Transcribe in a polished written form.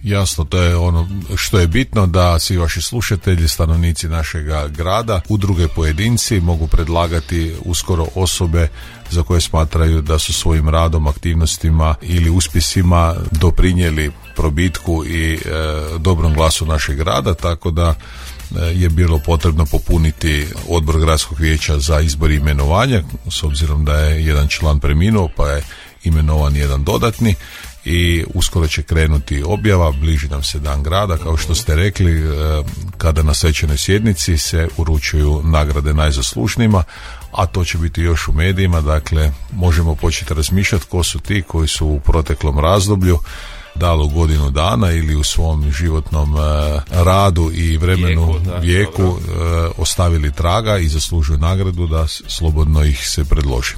Jasno, to je ono što je bitno, da svi vaši slušatelji, stanovnici našega grada, udruge, pojedinci mogu predlagati uskoro osobe za koje smatraju da su svojim radom, aktivnostima ili uspjesima doprinijeli probitku i dobrom glasu našeg grada, tako da je bilo potrebno popuniti odbor gradskog vijeća za izbor i imenovanje, s obzirom da je jedan član preminuo pa je imenovan jedan dodatni. I uskoro će krenuti objava, bliži nam se dan grada, kao što ste rekli, kada na svečanoj sjednici se uručuju nagrade najzaslužnijima, a to će biti još u medijima, dakle možemo početi razmišljati ko su ti koji su u proteklom razdoblju dali godinu dana ili u svom životnom radu i vremenu, vijeku ostavili traga i zaslužuju nagradu da slobodno ih se predloži.